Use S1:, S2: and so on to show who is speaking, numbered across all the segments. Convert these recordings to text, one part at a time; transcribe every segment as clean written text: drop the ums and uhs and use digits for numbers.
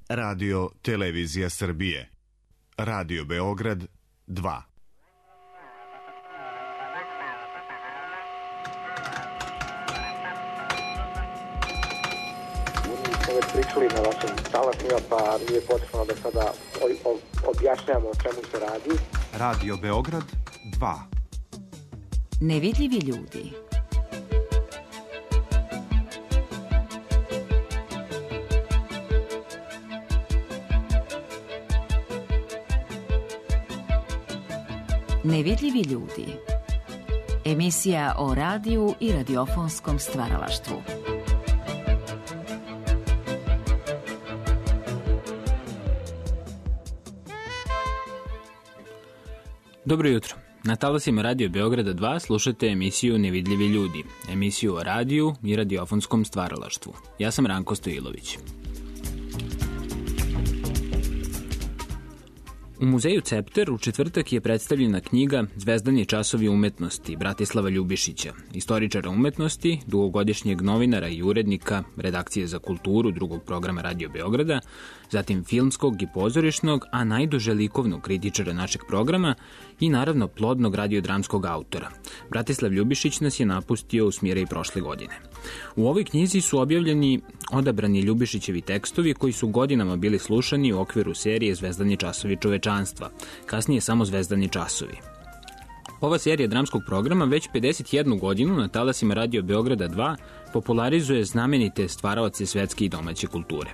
S1: Radio Televizija Srbije. Radio Beograd 2.
S2: Pričali na vašim talasima, pa nije potrebno da sada objašnjamo o čemu se radi.
S3: Radio Beograd 2.
S4: Nevidljivi ljudi. Nevidljivi ljudi. Emisija o radiju i radiofonskom stvaralaštvu.
S5: Dobro jutro. Na talasima Radio Beograda 2 slušate emisiju Nevidljivi ljudi, emisiju o radiju i radiofonskom stvaralaštvu. Ja sam Ranko Stojilović. U muzeju Cepter u četvrtak je predstavljena knjiga Zvezdani časovi umetnosti Bratislava Ljubišića, istoričara umetnosti, dugogodišnjeg novinara i urednika redakcije za kulturu drugog programa Radio Beograda, zatim filmskog i pozorišnog, a najduže likovnog kritičara našeg programa i naravno plodnog radiodramskog autora. Bratislav Ljubišić nas je napustio u smjere i prošle godine. U ovoj knjizi su objavljeni odabrani Ljubišićevi tekstovi koji su godinama bili slušani u okviru serije Zvezdani časovi čovečanstva, kasnije samo Zvezdani časovi. Ova serija dramskog programa već 51 godinu na talasima Radio Beograda 2 popularizuje znamenite stvaraoce svetske i domaće kulture.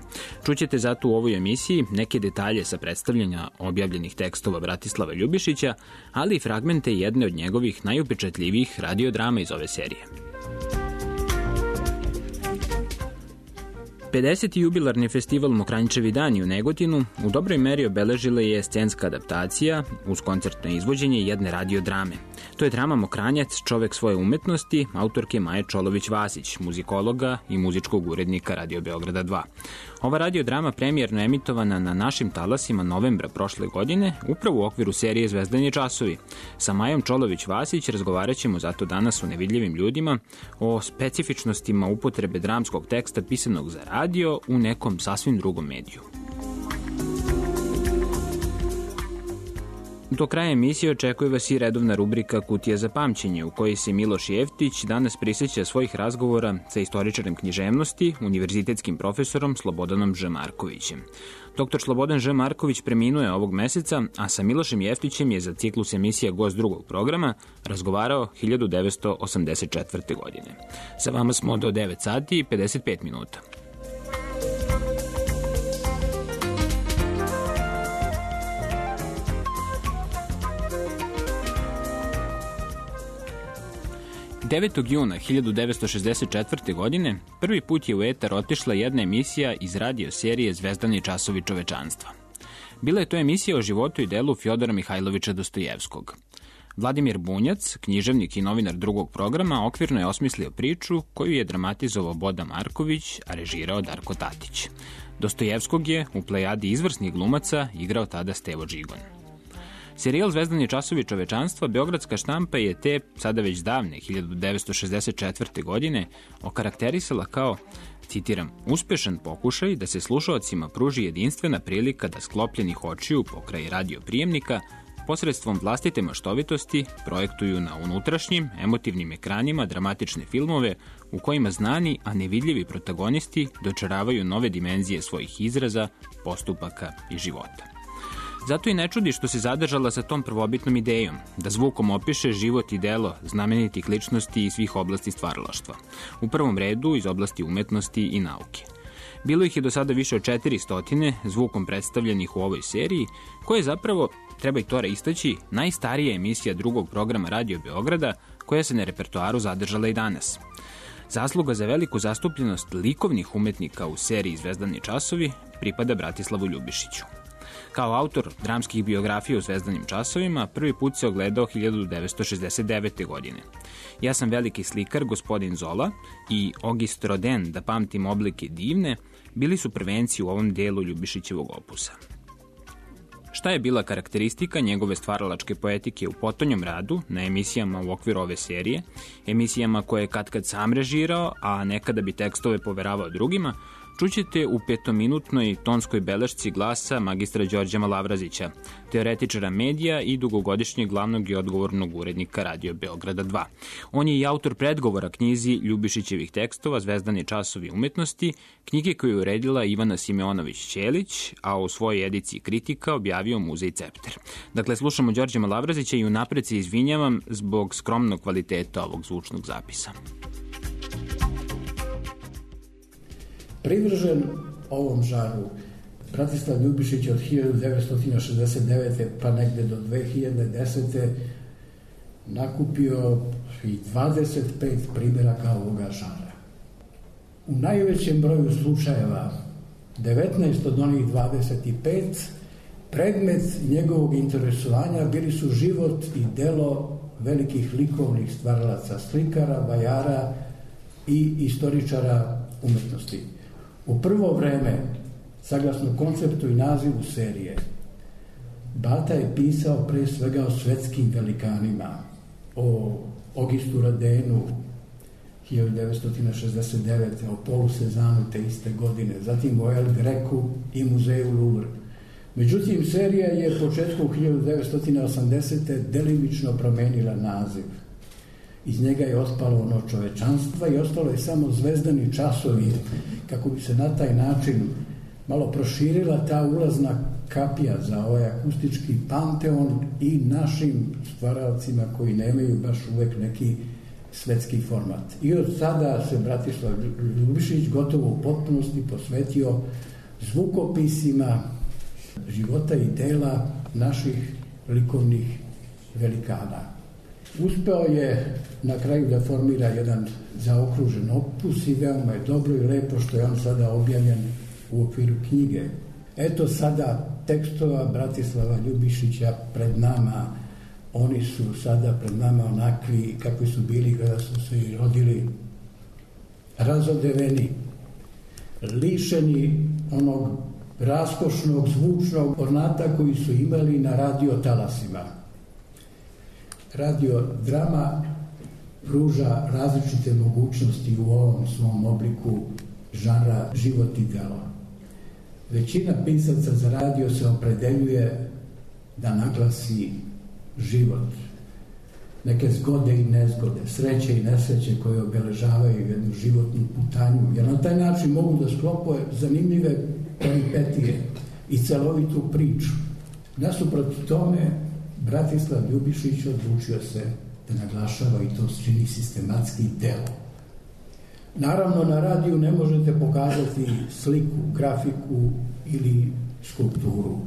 S5: Čućete zato u ovoj emisiji neke detalje sa predstavljanja objavljenih tekstova Bratislava Ljubišića, ali i fragmente jedne od njegovih najupečatljivijih radiodrama iz ove serije. 50. jubilarni festival Mokranjčevi dani u Negotinu u dobroj meri obeležila je scenska adaptacija uz koncertno izvođenje jedne radiodrame. To je drama Mokranjac, čovek svoje umetnosti, autorke Maje Čolović-Vasić, muzikologa i muzičkog urednika Radio Beograda 2. Ova radiodrama premijerno emitovana na našim talasima novembra prošle godine, upravo u okviru serije Zvezdani časovi. Sa Majom Čolović-Vasić razgovarat ćemo zato danas u Nevidljivim ljudima o specifičnostima upotrebe dramskog teksta pisanog za radio u nekom sasvim drugom mediju. Do kraja emisije očekuje vas i redovna rubrika Kutija za pamćenje, u kojoj se Miloš Jeftić danas prisjeća svojih razgovora sa istoričarem književnosti, univerzitetskim profesorom Slobodanom Ž. Markovićem. Dr. Slobodan Ž. Marković preminuo je ovog meseca, a sa Milošem Jeftićem je za ciklus emisija gost drugog programa razgovarao 1984. godine. Sa vama smo do 9 sati i 55 minuta. Juna 1964. godine prvi put je u etar otišla jedna emisija iz radio serije Zvezdani časovi čovečanstva. Bila je to emisija o životu i delu Fjodora Mihajlovića Dostojevskog. Vladimir Bunjac, književnik i novinar drugog programa, okvirno je osmislio priču koju je dramatizovao Boda Marković, a režirao Darko Tatić. Dostojevskog je u plejadi izvrsnih glumaca igrao tada Stevo Džigon. Serijal Zvezdani časovi čovečanstva beogradska štampa je te, sada već davne, 1964. godine okarakterisala kao, citiram, uspešan pokušaj da se slušaocima pruži jedinstvena prilika da sklopljenih očiju pokraj radioprijemnika posredstvom vlastite maštovitosti projektuju na unutrašnjim, emotivnim ekranima dramatične filmove u kojima znani, a nevidljivi protagonisti dočaravaju nove dimenzije svojih izraza, postupaka i života. Zato i ne čudi što se zadržala sa tom prvobitnom idejom, da zvukom opiše život i delo znamenitih ličnosti iz svih oblasti stvaralaštva, u prvom redu iz oblasti umetnosti i nauke. Bilo ih je do sada više od 400 zvukom predstavljenih u ovoj seriji, koja je zapravo, treba i to istaći, najstarija emisija drugog programa Radio Beograda, koja se na repertoaru zadržala i danas. Zasluga za veliku zastupljenost likovnih umetnika u seriji Zvezdani časovi pripada Bratislavu Ljubišiću. Kao autor dramskih biografija u Zvezdanim časovima prvi put se ogledao 1969. godine. Ja sam veliki slikar, gospodin Zola i Auguste Rodin, da pamtim oblike divne, bili su prvenci u ovom delu Ljubišićevog opusa. Šta je bila karakteristika njegove stvaralačke poetike u potonjom radu na emisijama u okviru ove serije, emisijama koje je katkad sam režirao, a nekada bi tekstove poveravao drugima, čućete u 5-minutnoj tonskoj belešci glasa magistra Đorđa Malavrazića, teoretičara medija i dugogodišnjeg glavnog i odgovornog urednika Radio Beograda 2. On je i autor predgovora knjizi Ljubišićevih tekstova Zvezdani časovi umetnosti, knjige koju je uredila Ivana Simeonović-Ćelić, a u svojoj ediciji Kritika objavio Muzej Cepter. Dakle, slušamo Đorđa Malavrazića i unapred se izvinjavam zbog skromnog kvaliteta ovog zvučnog zapisa.
S6: Privržen ovom žaru, Bratislav Ljubišić od 1969. pa negde do 2010. nakupio i 25 primjeraka ovoga žara. U najvećem broju slučajeva, 19 od onih 25, predmet njegovog interesovanja bili su život i delo velikih likovnih stvaralaca, slikara, vajara i istoričara umetnosti. U prvo vreme, saglasno konceptu i nazivu serije, Bata je pisao pre svega o svetskim velikanima, o Augustu Rodinu 1969. o Paulu Cézanne te iste godine, zatim o El Grecu i muzeju Louvre. Međutim, serija je početkom 1980. delimično promenila naziv. Iz njega je ospalo ono čovečanstva i ostalo je samo Zvezdani časovi, kako bi se na taj način malo proširila ta ulazna kapija za ovaj akustički panteon i našim stvaralcima koji nemaju baš uvek neki svetski format. I od sada se Bratislav Ljubišić gotovo u potpunosti posvetio zvukopisima života i dela naših likovnih velikana. Uspeo je na kraju da formira jedan zaokružen opus i veoma je dobro i lepo što je on sada objavljen u okviru knjige. Eto sada tekstova Bratislava Ljubišića pred nama. Oni su sada pred nama onakvi kakvi su bili kada su se i rodili, razodeveni, lišeni onog raskošnog zvučnog ornata koji su imali na radio talasima. Radiodrama pruža različite mogućnosti u ovom svom obliku žanra život i delo. Većina pisaca za radio se opredeljuje da naglasi život, neke zgode i nezgode, sreće i nesreće koje obeležavaju jednu životnu putanju, jer na taj način mogu da sklope zanimljive peripetije i celovitu priču. Nasuprot tome, Bratislav Ljubišić odlučio se da naglašava i to čini sistematski delo. Naravno, na radiju ne možete pokazati sliku, grafiku ili skulpturu,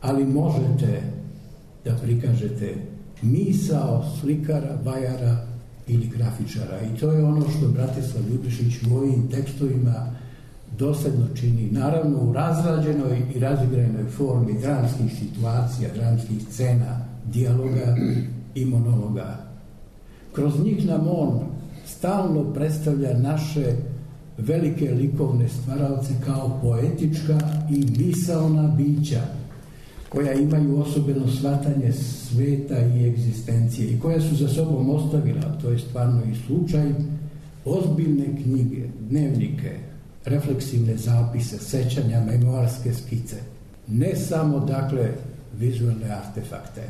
S6: ali možete da prikažete misao slikara, vajara ili grafičara. I to je ono što Bratislav Ljubišić u ovim tekstovima dosadno čini, naravno u razrađenoj i razigranoj formi dramskih situacija, dramskih scena, dijaloga i monologa. Kroz njih nam on stalno predstavlja naše velike likovne stvaralce kao poetička i misaona bića koja imaju osobeno shvatanje sveta i egzistencije i koja su za sobom ostavila, to je stvarno i slučaj, ozbiljne knjige, dnevnike, refleksivne zapise, sećanja, memoarske skice. Ne samo, dakle, vizualne artefakte.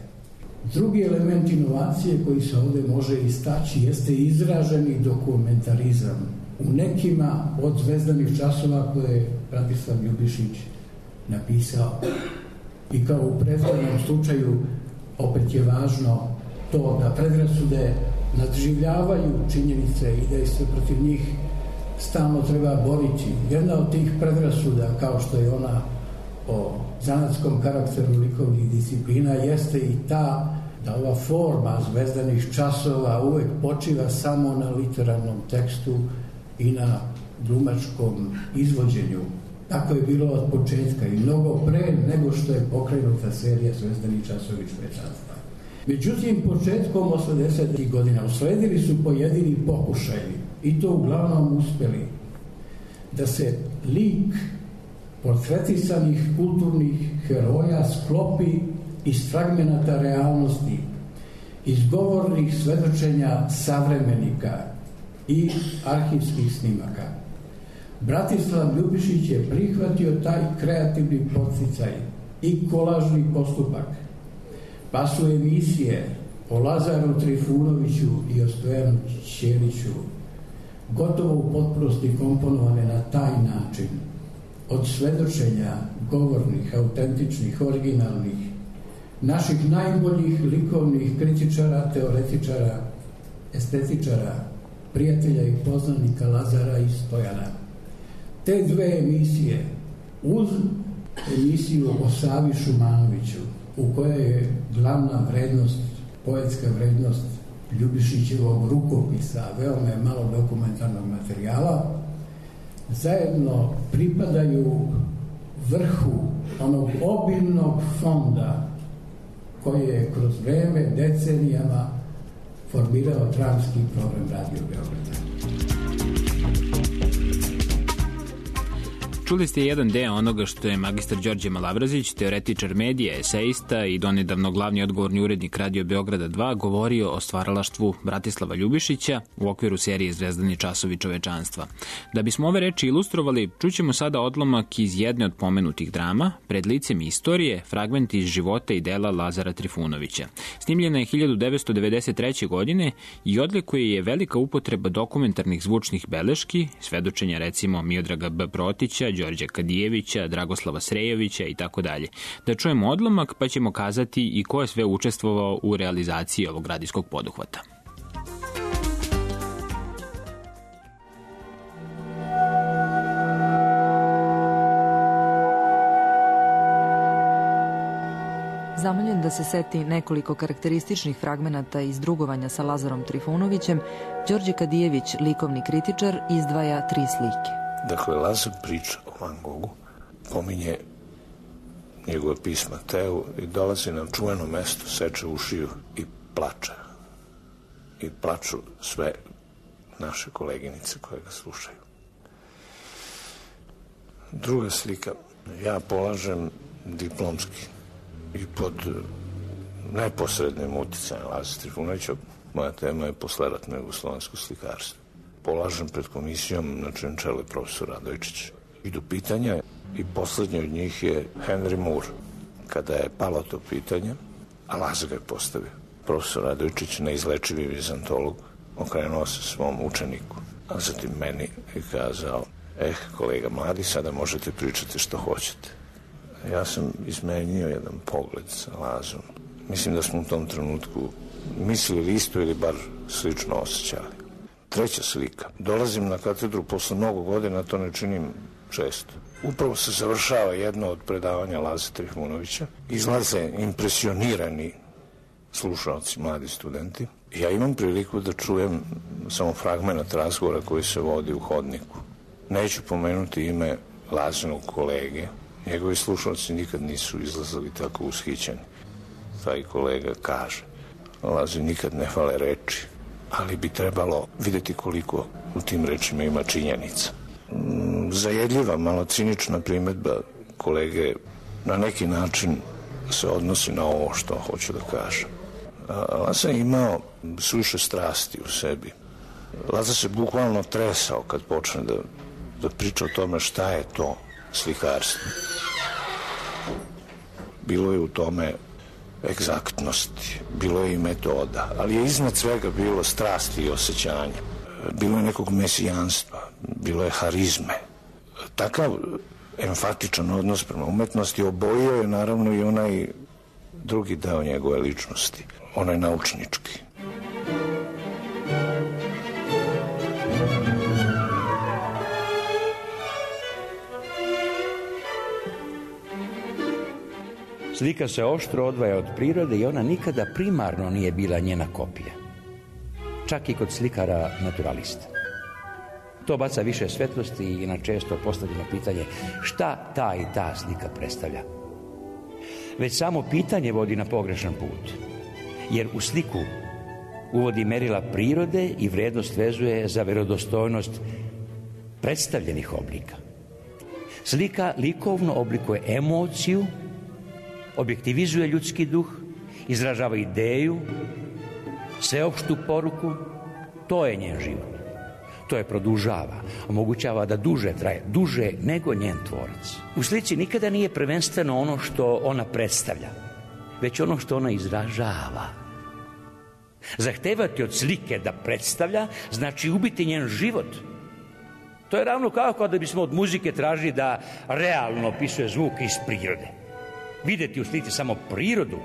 S6: Drugi element inovacije koji se ovdje može istaći jeste izraženi dokumentarizam. U nekima od Zvezdanih časova koje je Bratislav Ljubišić napisao. I kao u prethodnom slučaju opet je važno to da predrasude nadživljavaju činjenice i da se protiv njih stalno treba boriti. Jedna od tih predrasuda, kao što je ona o zanatskom karakteru likovnih disciplina, jeste i ta da ova forma Zvezdanih časova uvek počiva samo na literarnom tekstu i na glumačkom izvođenju. Tako je bilo od početka i mnogo pre nego što je pokrenuta serija Zvezdani časovi čovečanstva. Međutim, početkom 80. godina usledili su pojedini pokušaji, i to uglavnom uspeli, da se lik portretisanih kulturnih heroja sklopi iz fragmenata realnosti, iz govornih svedočenja savremenika i arhivskih snimaka. Bratislav Ljubišić je prihvatio taj kreativni podsticaj i kolažni postupak, pa su emisije o Lazaru Trifunoviću i o Stojanu Ćeliću gotovo u potpunosti komponovane na taj način, od svedočenja govornih, autentičnih, originalnih, naših najboljih likovnih kritičara, teoretičara, estetičara, prijatelja i poznanika Lazara i Stojana. Te dve emisije, uz emisiju o Savi Šumanoviću, u kojoj je glavna vrednost, poetska vrednost Ljubišićevog rukopisa, veoma je malo dokumentarnog materijala, zajedno pripadaju vrhu onog obilnog fonda koji je kroz vreme, decenijama formirao dramski program Radio Beograda.
S5: Čuli ste jedan deo onoga što je magistar Đorđe Malavrazić, teoretičar medija, eseista i donedavno glavni odgovorni urednik Radio Beograda 2, govorio o stvaralaštvu Bratislava Ljubišića u okviru serije Zvezdani časovi čovečanstva. Da bismo ove reči ilustrovali, čućemo sada odlomak iz jedne od pomenutih drama, Pred licem istorije, fragment iz života i dela Lazara Trifunovića. Snimljena je 1993. godine i odlikuje je velika upotreba dokumentarnih zvučnih beleški, svedočenja recimo Miodraga B. Protića, Đorđa Kadijevića, Dragoslava Srejovića i tako dalje. Da čujemo odlomak pa ćemo kazati i ko je sve učestvovao u realizaciji ovog radijskog poduhvata.
S7: Zamoljen da se seti nekoliko karakterističnih fragmenata iz drugovanja sa Lazarom Trifunovićem, Đorđe Kadijević, likovni kritičar, izdvaja 3 slike.
S8: Dakle, Lazar priča o Van Gogu, pominje njegove pisma Teu i dolazi na čuveno mesto, seče ušiju i plače. I plaču sve naše koleginice koje ga slušaju. Druga slika, ja polažem diplomski i pod neposrednim uticajem Lazara Trifunovića, moja tema je posleratno jugoslovensko slikarstvo. Polažem pred komisijom na čijem čelu je profesor Radojičić. Idu pitanja i poslednje od njih je Henry Moore. Kada je palo to pitanje, a Lazar ga je postavio, profesor Radojičić, neizlečivi vizantolog, okrenuo se svom učeniku, a zatim meni i kazao: kolega mladi, sada možete pričati što hoćete. Ja sam izmenio jedan pogled sa Lazarom. Mislim da smo u tom trenutku mislili isto ili bar slično osjećali. Treća slika. Dolazim na katedru posle mnogo godina, to ne činim često. Upravo se završava jedno od predavanja Lazara Trifunovića. Izlaze impresionirani slušalci, mladi studenti. Ja imam priliku da čujem samo fragment razgovora koji se vodi u hodniku. Neću pomenuti ime Lazinog kolege. Njegovi slušalci nikad nisu izlazili tako ushićeni. Taj kolega kaže: Lazi nikad ne fale reči, ali bi trebalo videti koliko u tim rečima ima činjenica. Zajedljiva, malo cinična primedba kolege na neki način se odnosi na ovo što hoću da kažem. Lazar je imao suviše strasti u sebi. Lazar se bukvalno tresao kad počne da priča o tome šta je to slikarstvo. Bilo je u tome egzaktnosti, bilo je i metoda, ali je iznad svega bilo strasti i osjećanja. Bilo je nekog mesijanstva, bilo je harizme. Takav emfatičan odnos prema umetnosti obojio je naravno i onaj drugi deo njegove ličnosti, onaj naučnički.
S9: Slika se oštro odvaja od prirode i ona nikada primarno nije bila njena kopija. Čak i kod slikara naturalista. To baca više svetlosti i na često postavljeno pitanje šta ta i ta slika predstavlja. Već samo pitanje vodi na pogrešan put, jer u sliku uvodi merila prirode i vrednost vezuje za verodostojnost predstavljenih oblika. Slika likovno oblikuje emociju, objektivizuje ljudski duh, izražava ideju, sveopštu poruku. To je njen život. To je produžava, omogućava da duže traje, duže nego njen tvorac. U slici nikada nije prvenstveno ono što ona predstavlja, već ono što ona izražava. Zahtevati od slike da predstavlja znači ubiti njen život. To je ravno kao kada bismo od muzike tražili da realno opisuje zvuk iz prirode. Videti u slici samo prirodu,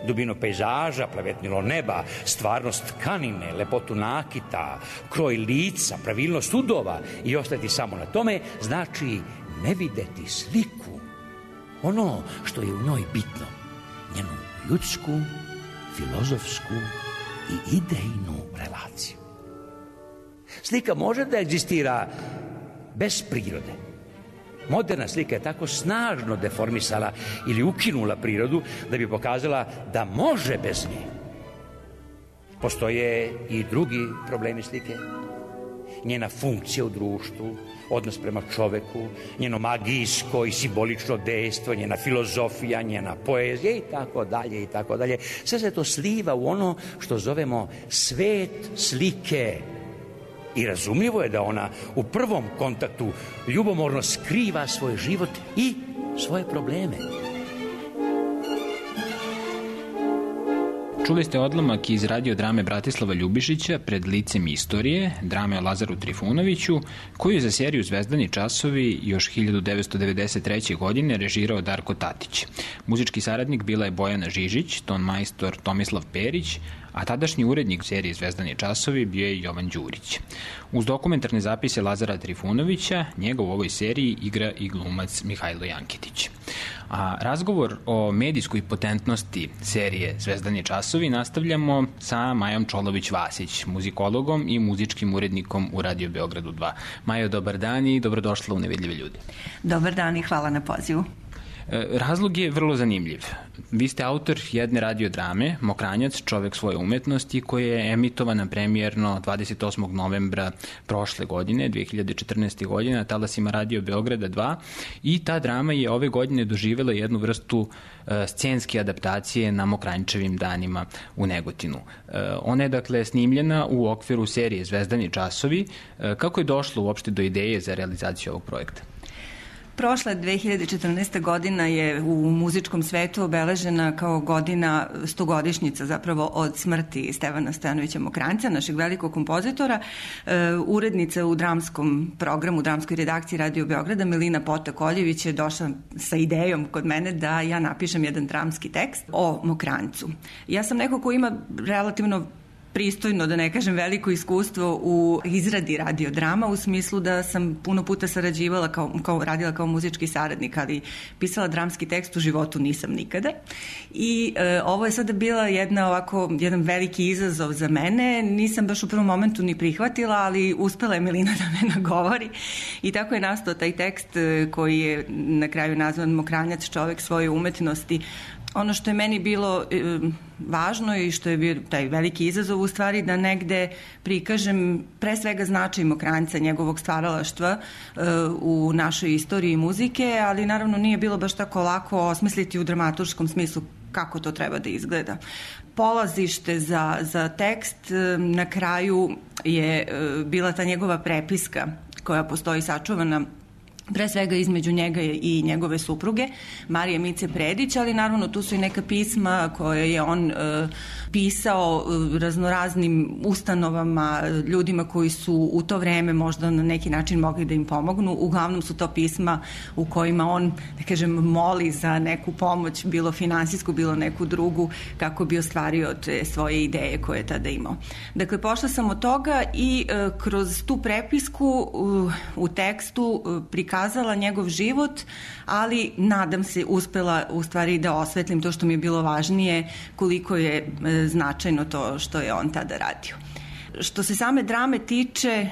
S9: dubinu pejzaža, plavetnilo neba, stvarnost tkanine, lepotu nakita, kroj lica, pravilnost udova i ostati samo na tome, znači ne videti sliku. Ono što je u njoj bitno, njenu ljudsku, filozofsku i idejnu relaciju. Slika može da egzistira bez prirode. Moderna slika je tako snažno deformisala ili ukinula prirodu da bi pokazala da može bez nje. Postoje i drugi problemi slike. Njena funkcija u društvu, odnos prema čoveku, njeno magijsko i simbolično dejstvo, njena filozofija, njena poezija i tako dalje i tako dalje. Sve se to sliva u ono što zovemo svet slike. I razumljivo je da ona u prvom kontaktu ljubomorno skriva svoj život i svoje probleme.
S5: Čuli ste odlomak iz radio drame Bratislava Ljubišića Pred licem istorije, drame o Lazaru Trifunoviću, koju je za seriju Zvezdani časovi još 1993. godine režirao Darko Tatić. Muzički saradnik bila je Bojana Žižić, ton majstor Tomislav Perić, a tadašnji urednik serije Zvezdani časovi bio je Jovan Đurić. Uz dokumentarne zapise Lazara Trifunovića, njega u ovoj seriji igra i glumac Mihajlo Jankitić. A razgovor o medijskoj potentnosti serije Zvezdani časovi nastavljamo sa Majom Čolović-Vasić, muzikologom i muzičkim urednikom u Radio Beogradu 2. Majo, dobar dan i dobrodošla u Nevidljive ljude.
S10: Dobar dan i hvala na pozivu.
S5: Razlog je vrlo zanimljiv. Vi ste autor jedne radiodrame, Mokranjac, čovek svoje umetnosti, koja je emitovana premijerno 28. novembra prošle godine, 2014. godine, na talasima Radio Beograda 2, i ta drama je ove godine doživjela jednu vrstu scenske adaptacije na Mokranjčevim danima u Negotinu. Ona je dakle snimljena u okviru serije Zvezdani časovi. Kako je došlo uopšte do ideje za realizaciju ovog projekta?
S10: Prošla 2014. godina je u muzičkom svetu obeležena kao godina, 100-godišnjica zapravo od smrti Stevana Stojanovića Mokranjca, našeg velikog kompozitora. Urednica u dramskom programu, dramskoj redakciji Radio Beograda, Milina Potak-Oljević, je došla sa idejom kod mene da ja napišem jedan dramski tekst o Mokranjcu. Ja sam neko ko ima relativno pristojno, da ne kažem veliko iskustvo u izradi radiodrama, u smislu da sam puno puta sarađivala, radila kao muzički saradnik, ali pisala dramski tekst u životu nisam nikada. I ovo je sada bila jedan veliki izazov za mene. Nisam baš u prvom momentu ni prihvatila, ali uspela je Milina da me nagovori. I tako je nastao taj tekst koji je na kraju nazvan Mokranjac, čovek svoje umetnosti. Ono što je meni bilo važno i što je bio taj veliki izazov u stvari da negde prikažem pre svega značaj Mokranjca, njegovog stvaralaštva u našoj istoriji muzike, ali naravno nije bilo baš tako lako osmisliti u dramaturškom smislu kako to treba da izgleda. Polazište za tekst na kraju je bila ta njegova prepiska koja postoji sačuvana pre svega između njega i njegove supruge, Marije Mice Predić, ali naravno tu su i neka pisma koje je on pisao raznoraznim ustanovama, ljudima koji su u to vreme možda na neki način mogli da im pomognu. Uglavnom su to pisma u kojima on, da kažem, moli za neku pomoć, bilo finansijsku, bilo neku drugu, kako bi ostvario te svoje ideje koje je tada imao. Dakle, pošla sam od toga i kroz tu prepisku u tekstu prikazala njegov život, ali nadam se uspela u stvari da osvetlim to što mi je bilo važnije, koliko je značajno to što je on tada radio. Što se same drame tiče,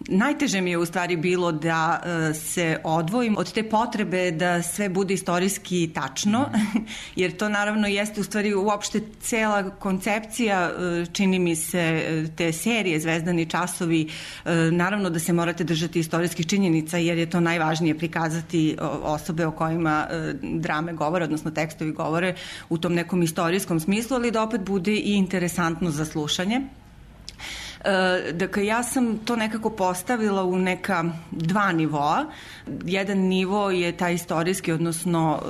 S10: najteže mi je u stvari bilo da se odvojim od te potrebe da sve bude istorijski tačno, jer to naravno jeste u stvari uopšte cela koncepcija, čini mi se, te serije Zvezdani časovi, naravno da se morate držati istorijskih činjenica, jer je to najvažnije prikazati osobe o kojima drame govore, odnosno tekstovi govore u tom nekom istorijskom smislu, ali da opet bude i interesantno za slušanje. Dakle, ja sam to nekako postavila u neka dva nivoa. Jedan nivo je taj istorijski, odnosno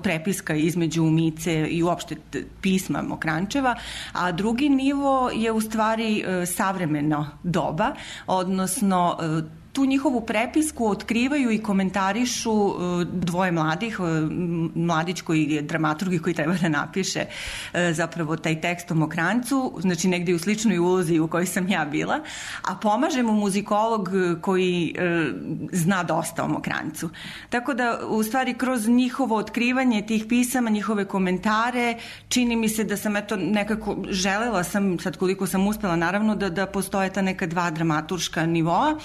S10: prepiska između Mice i uopšte pisma Mokranjčeva, a drugi nivo je u stvari savremeno doba, odnosno tu njihovu prepisku otkrivaju i komentarišu dvoje mladih, mladić koji je dramaturg i koji treba da napiše zapravo taj tekst o Mokranjcu, znači negdje u sličnoj ulozi u kojoj sam ja bila, a pomaže mu muzikolog koji zna dosta o Mokranjcu. Tako da, u stvari, kroz njihovo otkrivanje tih pisama, njihove komentare, čini mi se da sam nekako želela sam, sad koliko sam uspela, naravno da postoje ta neka dva dramaturška nivoa.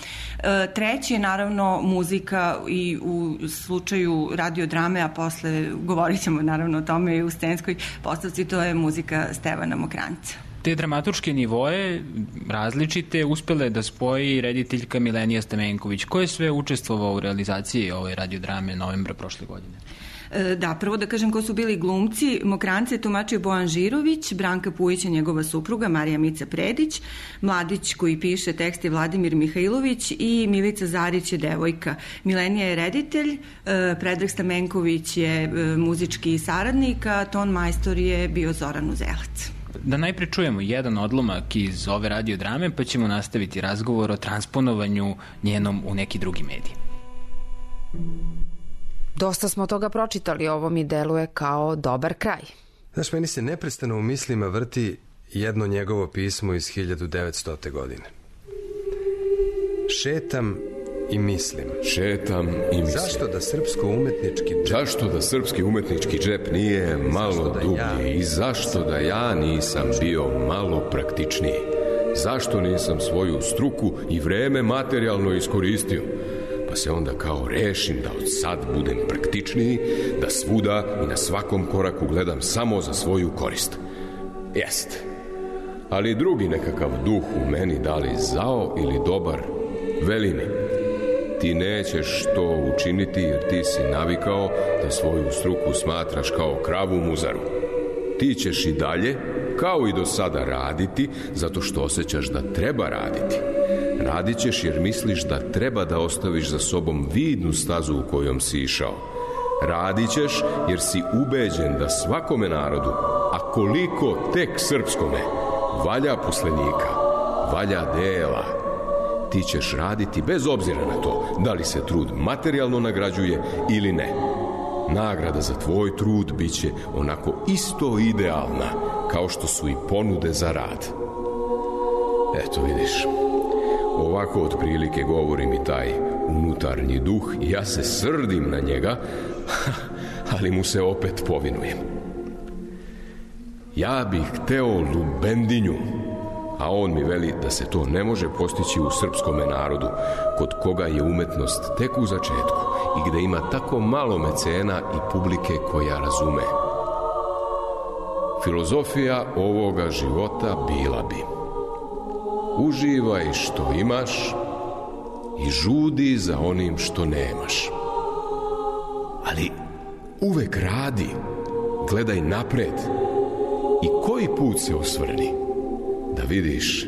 S10: Treći je naravno muzika i u slučaju radiodrame, a posle govorit ćemo naravno o tome i u scenskoj postavci, to je muzika Stevana Mokranjca.
S5: Te dramaturške nivoe različite uspele da spoji rediteljka Milenija Stamenković. Ko je sve učestvovao u realizaciji ove radiodrame novembra prošle godine?
S10: Da, prvo da kažem ko su bili glumci. Mokranjca je tumačio Bojan Žirović, Branka Pujić je njegova supruga, Marija Mica Predić, mladić koji piše tekst je Vladimir Mihajlović i Milica Zarić je devojka. Milenija je reditelj, Predrag Stamenković je muzički saradnik, a ton majstor je bio Zoran Uzelac.
S5: Da najpre čujemo jedan odlomak iz ove radiodrame, pa ćemo nastaviti razgovor o transponovanju njenom u neki drugi medij.
S11: Dosta smo toga pročitali, ovo mi deluje kao dobar kraj.
S12: Znaš, meni se neprestano u mislima vrti jedno njegovo pismo iz 1900. godine. Šetam i mislim.
S13: Šetam i mislim. Zašto da srpski umetnički džep nije malo dublji i zašto da ja nisam bio malo praktičniji? Zašto nisam svoju struku i vreme materijalno iskoristio? Pa se onda kao rešim da od sad budem praktičniji, da svuda i na svakom koraku gledam samo za svoju korist. Jeste. Ali drugi nekakav duh u meni, da li zao ili dobar, veli mi: ti nećeš to učiniti jer ti si navikao da svoju struku smatraš kao kravu muzaru. Ti ćeš i dalje, kao i do sada, raditi zato što osjećaš da treba raditi. Radit ćeš jer misliš da treba da ostaviš za sobom vidnu stazu u kojom si išao. Radit ćeš jer si ubeđen da svakome narodu, a koliko tek srpskome, valja poslenika, valja dela. Ti ćeš raditi bez obzira na to da li se trud materijalno nagrađuje ili ne. Nagrada za tvoj trud bit će onako isto idealna kao što su i ponude za rad. Eto vidiš, ovako otprilike govori mi taj unutarnji duh i ja se srdim na njega, ali mu se opet povinujem. Ja bih hteo lubendinju, a on mi veli da se to ne može postići u srpskome narodu, kod koga je umetnost tek u začetku i gde ima tako malo mecena i publike koja razume. Filozofija ovoga života bila bi: uživaj što imaš i žudi za onim što nemaš. Ali uvek radi, gledaj napred i koji put se osvrni, da vidiš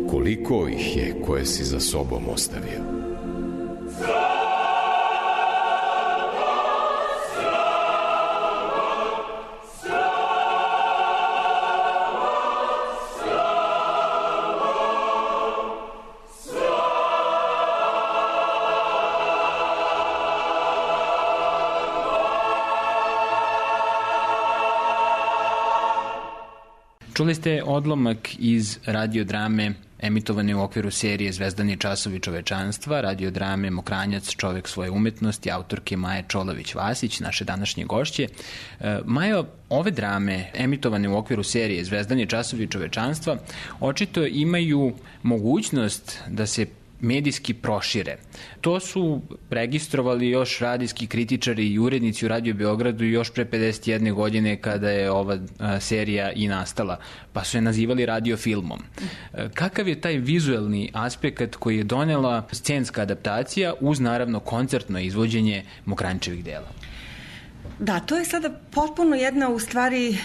S13: koliko ih je koje si za sobom ostavio.
S5: Čuli ste odlomak iz radiodrame emitovane u okviru serije Zvezdani časovi čovečanstva, radiodrame Mokranjac, čovek svoje umetnosti, autorke Maje Čolović-Vasić, naše današnje gošće. Majo, ove drame emitovane u okviru serije Zvezdani časovi čovečanstva očito imaju mogućnost da se medijski prošire. To su registrovali još radijski kritičari i urednici u Radio Beogradu još pre 51 godine kada je ova serija i nastala, pa su je nazivali radiofilmom. Kakav je taj vizuelni aspekt koji je donela scenska adaptacija uz naravno koncertno izvođenje Mokranjčevih dela?
S10: Da, to je sada potpuno jedna u stvari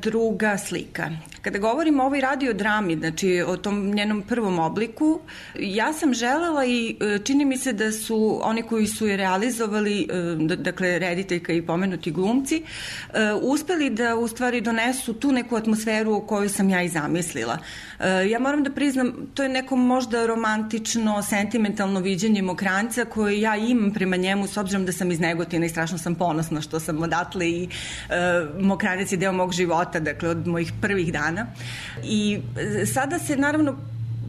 S10: druga slika. Kada govorimo o ovoj radiodrami, znači o tom njenom prvom obliku, ja sam želela i čini mi se da su oni koji su je realizovali, dakle rediteljka i pomenuti glumci, uspeli da u stvari donesu tu neku atmosferu koju sam ja i zamislila. Ja moram da priznam, to je neko možda romantično, sentimentalno viđenje Mokranjca koje ja imam prema njemu, s obzirom da sam iz Negotina i strašno sam ponosna što sam odatle i Mokranjac je deo mog života, dakle od mojih prvih dana. I sada se naravno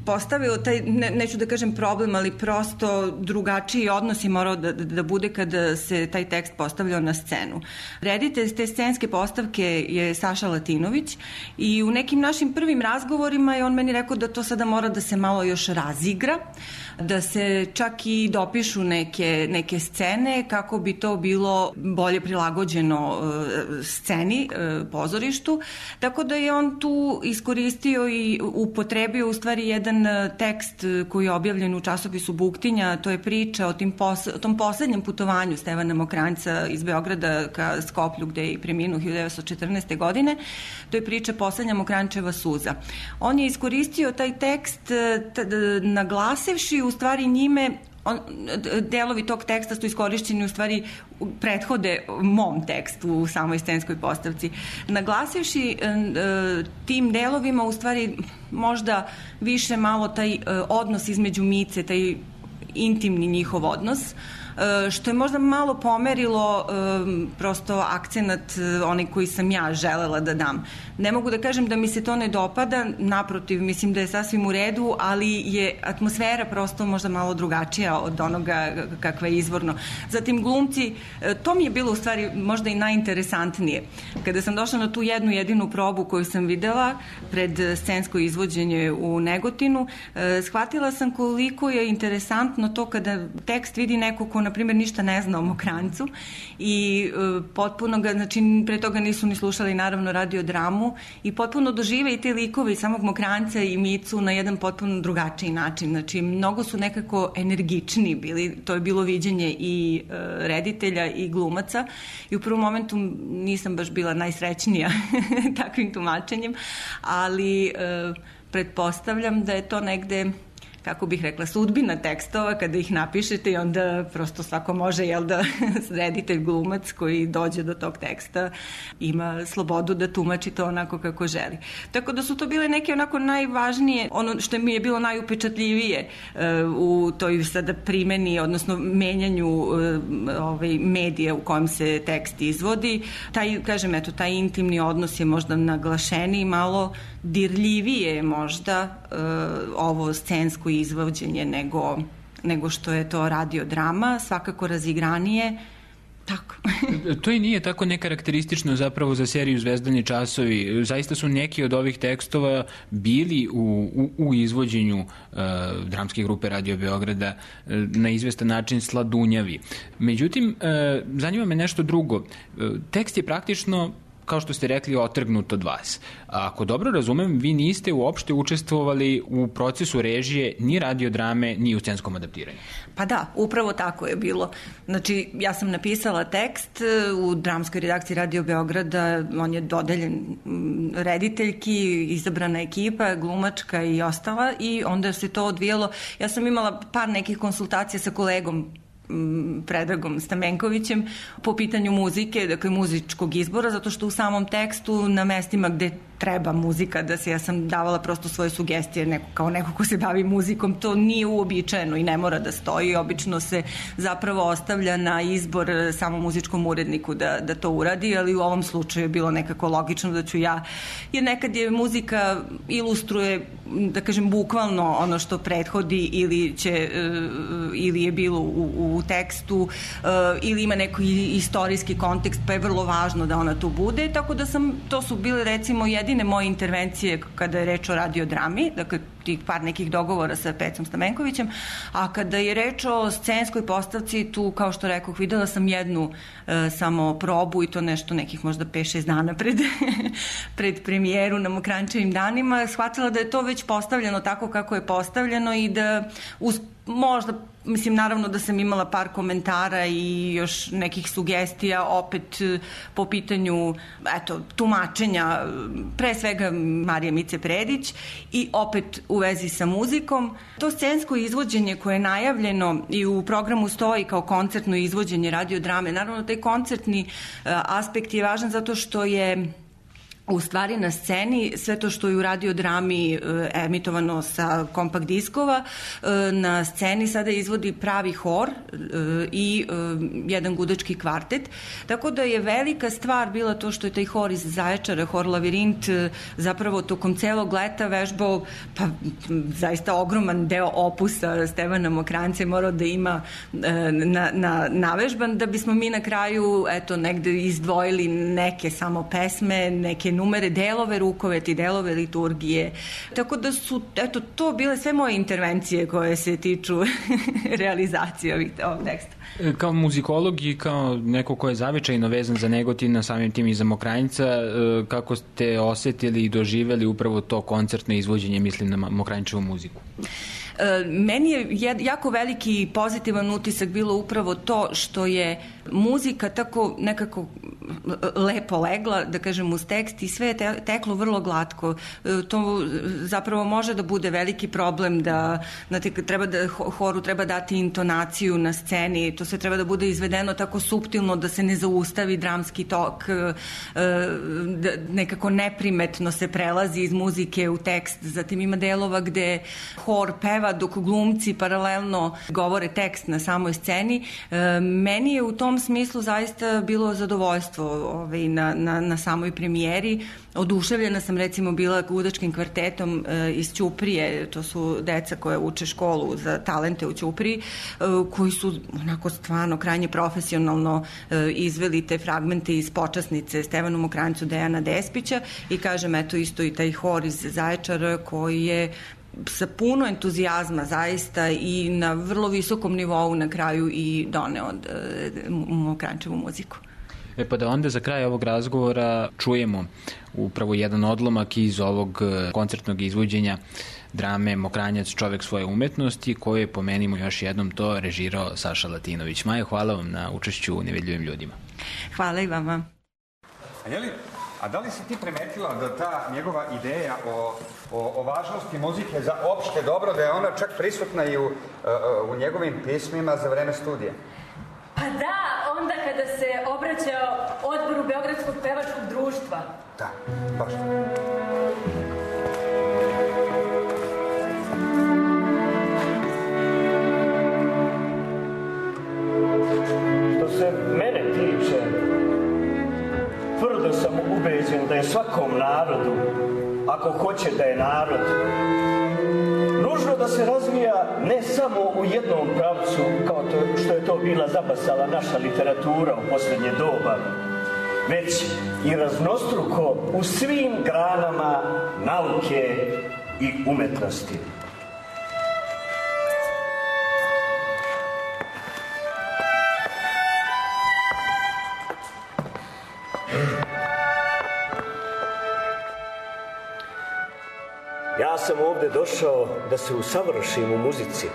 S10: postavio taj, neću da kažem problem, ali prosto drugačiji odnos je morao da bude kada se taj tekst postavljao na scenu. Reditelj te scenske postavke je Saša Latinović i u nekim našim prvim razgovorima je on meni rekao da to sada mora da se malo još razigra, da se čak i dopišu neke scene kako bi to bilo bolje prilagođeno sceni, pozorištu. Tako da je on tu iskoristio i upotrebio u stvari jedan tekst koji je objavljen u časopisu Buktinja, to je priča o tom poslednjem putovanju Stevana Mokranjca iz Beograda ka Skoplju gde je i preminuo 1914. godine. To je priča Poslednja Mokranjčeva suza. On je iskoristio taj tekst naglasivši u stvari njime, delovi tog teksta su iskorišćeni u stvari prethode mom tekstu u samoj scenskoj postavci. Naglasivši tim delovima u stvari možda više malo taj odnos između Mice, taj intimni njihov odnos, što je možda malo pomerilo prosto akcenat onaj koji sam ja želela da dam. Ne mogu da kažem da mi se to ne dopada, naprotiv, mislim da je sasvim u redu, ali je atmosfera prosto možda malo drugačija od onoga kakva je izvorno. Zatim glumci, to mi je bilo u stvari možda i najinteresantnije. Kada sam došla na tu jednu jedinu probu koju sam videla pred scensko izvođenje u Negotinu, shvatila sam koliko je interesantno to kada tekst vidi neko ko na primjer ništa ne zna o Mokranjcu i potpuno ga, znači pre toga nisu ni slušali naravno radiodramu i potpuno dožive i te likove i samog Mokranjca i Micu na jedan potpuno drugačiji način. Znači mnogo su nekako energični bili, to je bilo viđenje i reditelja i glumaca i u prvom momentu nisam baš bila najsrećnija takvim tumačenjem, ali pretpostavljam da je to negde, kako bih rekla, sudbina tekstova kada ih napišete i onda prosto svako može, reditelj glumac koji dođe do tog teksta ima slobodu da tumači to onako kako želi. Tako da su to bile neke onako najvažnije, ono što mi je bilo najupečatljivije u toj sada primeni, odnosno menjanju medija u kojem se tekst izvodi. Taj intimni odnos je možda naglašeniji, malo dirljivije možda ovo scensko izvođenje nego što je to radiodrama, svakako razigranije. Tako.
S5: To i nije tako nekarakteristično zapravo za seriju Zvezdani časovi. Zaista su neki od ovih tekstova bili u izvođenju dramske grupe Radio Beograda na izvestan način sladunjavi. Međutim, zanima me nešto drugo. Tekst je praktično, kao što ste rekli, otrgnut od vas. Ako dobro razumem, vi niste uopšte učestvovali u procesu režije ni radiodrame, ni u scenskom adaptiranju.
S10: Pa da, upravo tako je bilo. Znači, ja sam napisala tekst u dramskoj redakciji Radio Beograda, on je dodeljen rediteljki, izabrana ekipa, glumačka i ostala i onda se to odvijalo. Ja sam imala par nekih konsultacija sa kolegom Predragom Stamenkovićem po pitanju muzike, dakle muzičkog izbora, zato što u samom tekstu na mestima gde treba muzika da se, ja sam davala prosto svoje sugestije kao neko ko se bavi muzikom, to nije uobičajeno i ne mora da stoji, obično se zapravo ostavlja na izbor samom muzičkom uredniku da to uradi, ali u ovom slučaju je bilo nekako logično da ću ja, jer nekad je muzika ilustruje, da kažem, bukvalno ono što prethodi ili je bilo u tekstu ili ima neki istorijski kontekst, pa je vrlo važno da ona tu bude, tako da to su bile recimo jedine moje intervencije kada je reč o radiodrami, dakle tih par nekih dogovora sa Pecom Stamenkovićem, a kada je reč o scenskoj postavci, tu, kao što rekoh, videla sam jednu samo probu i to nešto nekih možda 5-6 dana pred premijeru na Mokranjčevim danima, shvatila da je to već postavljeno tako kako je postavljeno i da možda, mislim, naravno da sam imala par komentara i još nekih sugestija opet po pitanju, eto, tumačenja, pre svega Marije Mice Predić i opet u vezi sa muzikom. To scensko izvođenje koje je najavljeno i u programu stoji kao koncertno izvođenje radiodrame, naravno taj koncertni aspekt je važan zato što je u stvari na sceni sve to što je u radiodrami emitovano sa kompakt diskova, na sceni sada izvodi pravi hor i jedan gudački kvartet. Tako da je velika stvar bila to što je taj hor iz Zaječara, hor Lavirint, zapravo tokom celog leta vežbao, pa zaista ogroman deo opusa Stevana Mokranjca je morao da ima navežban, da bismo mi na kraju, eto, negde izdvojili neke samo pesme, neke numere, delove rukoveti, delove liturgije. Tako da su, eto, to bile sve moje intervencije koje se tiču realizacije ovog teksta.
S5: Kao muzikolog i kao neko ko je zavičajno vezan za Negotin, samim tim i za Mokranjca, kako ste osetili i doživeli upravo to koncertno izvođenje, mislim na Mokranjčevu muziku?
S10: Meni je jako veliki pozitivan utisak bilo upravo to što je muzika tako nekako lepo legla, da kažem, uz tekst i sve je teklo vrlo glatko. To zapravo može da bude veliki problem da horu treba dati intonaciju na sceni, to sve treba da bude izvedeno tako suptilno da se ne zaustavi dramski tok, da nekako neprimetno se prelazi iz muzike u tekst. Zatim ima delova gde hor peva dok glumci paralelno govore tekst na samoj sceni. Meni je u tom smislu zaista bilo zadovoljstvo na samoj premijeri. Oduševljena sam, recimo, bila gudačkim kvartetom iz Ćuprije, to su deca koje uče školu za talente u Ćupriji, koji su onako stvarno krajnje profesionalno izveli te fragmente iz počasnice Stevanu Mokranjcu Dejana Despića i kažem, eto, isto i taj hor iz Zaječara koji je sa puno entuzijazma zaista i na vrlo visokom nivou na kraju i doneo Mokranjčevu muziku.
S5: Pa da onda za kraj ovog razgovora čujemo upravo jedan odlomak iz ovog koncertnog izvođenja drame Mokranjac, čovek svoje umetnosti, koje je, pomenimo još jednom, to režirao Saša Latinović. Maja, hvala vam na učešću u Nevidljivim ljudima.
S10: Hvala i vama.
S14: A da li si ti primetila da ta njegova ideja o važnosti muzike za opšte dobro, da je ona čak prisutna i u njegovim pismima za vreme studija?
S15: Pa da, onda kada se obraćao odboru Beogradskog pevačkog društva.
S14: Da, baš.
S16: Što se mene tiče, tvrdo sam ubeđen da je svakom narodu, ako hoće da je narod, nužno da se razvija ne samo u jednom pravcu, kao to što je to bila zabasala naša literatura u posljednje doba, već i raznostruko u svim granama nauke i umetnosti. Ja sam ovde došao da se usavršim u muzici,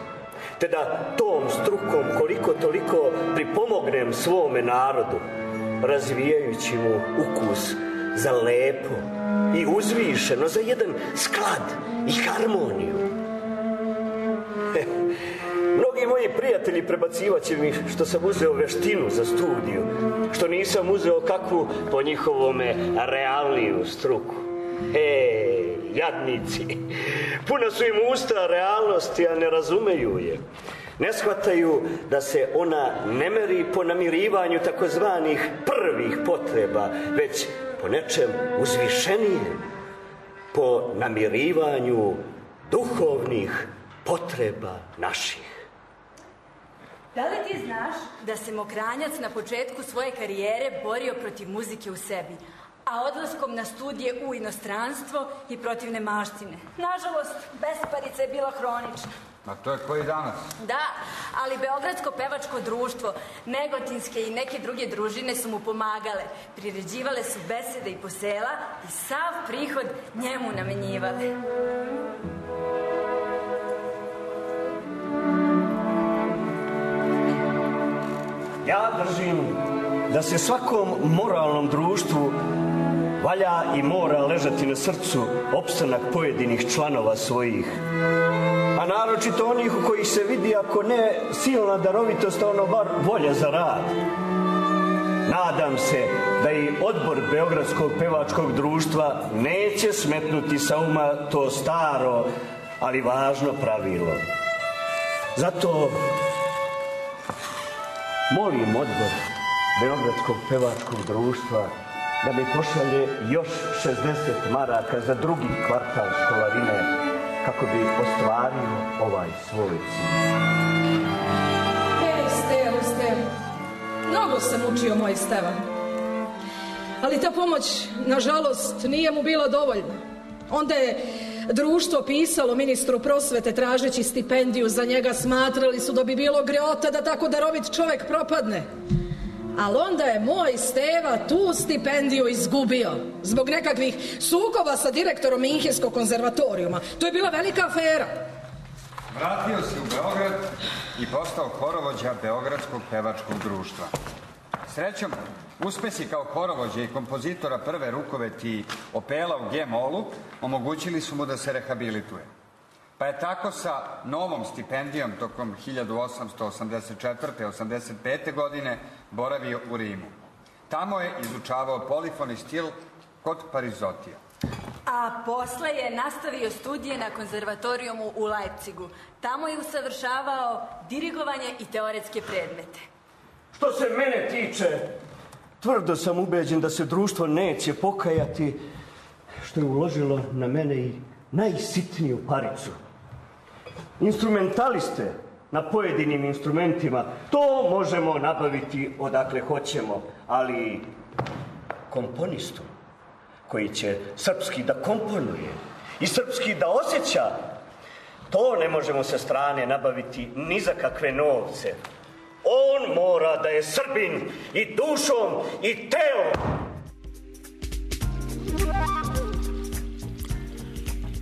S16: te da tom strukom koliko toliko pripomognem svome narodu, razvijajući mu ukus za lepo i uzvišeno, za jedan sklad i harmoniju. Mnogi moji prijatelji prebacivaće mi što sam uzeo veštinu za studiju, što nisam uzeo kakvu po njihovome realniju struku. Jadnici, puna su im usta realnosti, a ne razumeju je. Ne shvataju da se ona ne meri po namirivanju takozvanih prvih potreba, već po nečem uzvišenijem, po namirivanju duhovnih potreba naših.
S15: Da li ti znaš da se Mokranjac na početku svoje karijere borio protiv muzike u sebi, a odlaskom na studije u inostranstvo i protiv nemaštine. Nažalost, besparica je bila hronična.
S14: A to je koji danas?
S15: Da, ali Beogradsko pevačko društvo, Negotinske i neke druge družine su mu pomagale. Priređivale su besede i posela i sav prihod njemu namenjivale.
S16: Ja držim da se svakom moralnom društvu valja i mora ležati na srcu opstanak pojedinih članova svojih. A naročito onih u kojih se vidi, ako ne silna darovitost, ono bar volja za rad. Nadam se da i odbor Beogradskog pevačkog društva neće smetnuti sa uma to staro, ali važno pravilo. Zato molim odbor Beogradskog pevačkog društva da mi pošalje još 60 maraka za drugi kvartal školarine kako bi ostvario ovaj svoj cilj.
S17: Stevo, mnogo sam učio moj Steva. Ali ta pomoć, nažalost, nije mu bila dovoljna. Onda je društvo pisalo ministru prosvete tražeći stipendiju za njega. Smatrali su da bi bilo greota da tako darovit čovek propadne. Ali onda je moj Steva tu stipendiju izgubio zbog nekakvih sukoba sa direktorom Minhenskog konzervatorijuma. To je bila velika afera.
S14: Vratio se u Beograd i postao horovođa Beogradskog pevačkog društva. Srećom, uspesi kao horovođa i kompozitora prve rukoveti Opela u G-molu omogućili su mu da se rehabilituje. Pa je tako sa novom stipendijom tokom 1884-85. godine boravio u Rimu. Tamo je izučavao polifoni stil kod Parizotija.
S15: A posle je nastavio studije na konzervatorijumu u Leipzigu. Tamo je usavršavao dirigovanje i teoretske predmete.
S16: Što se mene tiče, tvrdo sam ubeđen da se društvo neće pokajati što je uložilo na mene i najsitniju paricu. Instrumentaliste na pojedinim instrumentima, to možemo nabaviti odakle hoćemo, ali komponistu koji će srpski da komponuje i srpski da osjeća, to ne možemo sa strane nabaviti ni za kakve novce. On mora da je Srbin i dušom i telom.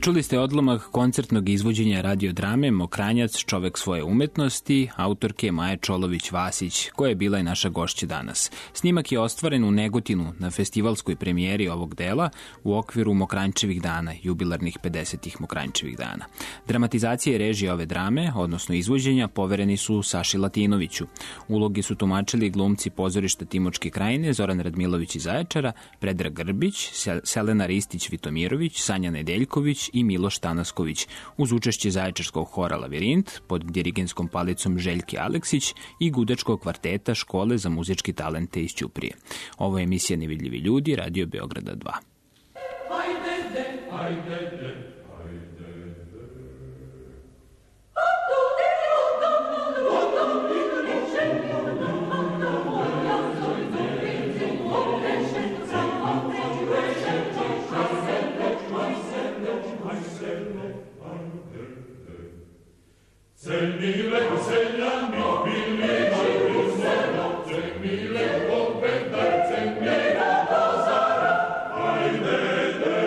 S5: Čuli ste odlomak koncertnog izvođenja radiodrame Mokranjac, čovek svoje umetnosti, autorke Maje Čolović-Vasić, koja je bila i naša gošća danas. Snimak je ostvaren u Negotinu na festivalskoj premijeri ovog dela u okviru Mokranjčevih dana, jubilarnih 50. Mokranjčevih dana. Dramatizacija i režija ove drame, odnosno izvođenja, povereni su Saši Latinoviću. Uloge su tumačili glumci pozorišta Timočke krajine, Zoran Radmilović iz Zaječara, Predrag Grbić, Selena Ristić-Vitomirović, Sanja Nedeljković i Miloš Tanasković, uz učešće Zaječarskog hora Lavirint pod dirigenskom palicom Željke Aleksić i gudačkog kvarteta Škole za muzički talente iz Ćuprije. Ovo je emisija Nevidljivi ljudi, Radio Beograda 2.
S18: Zemile, zeljani, bili, zemile, pobedar, zemile, dozara, ajde, ajde,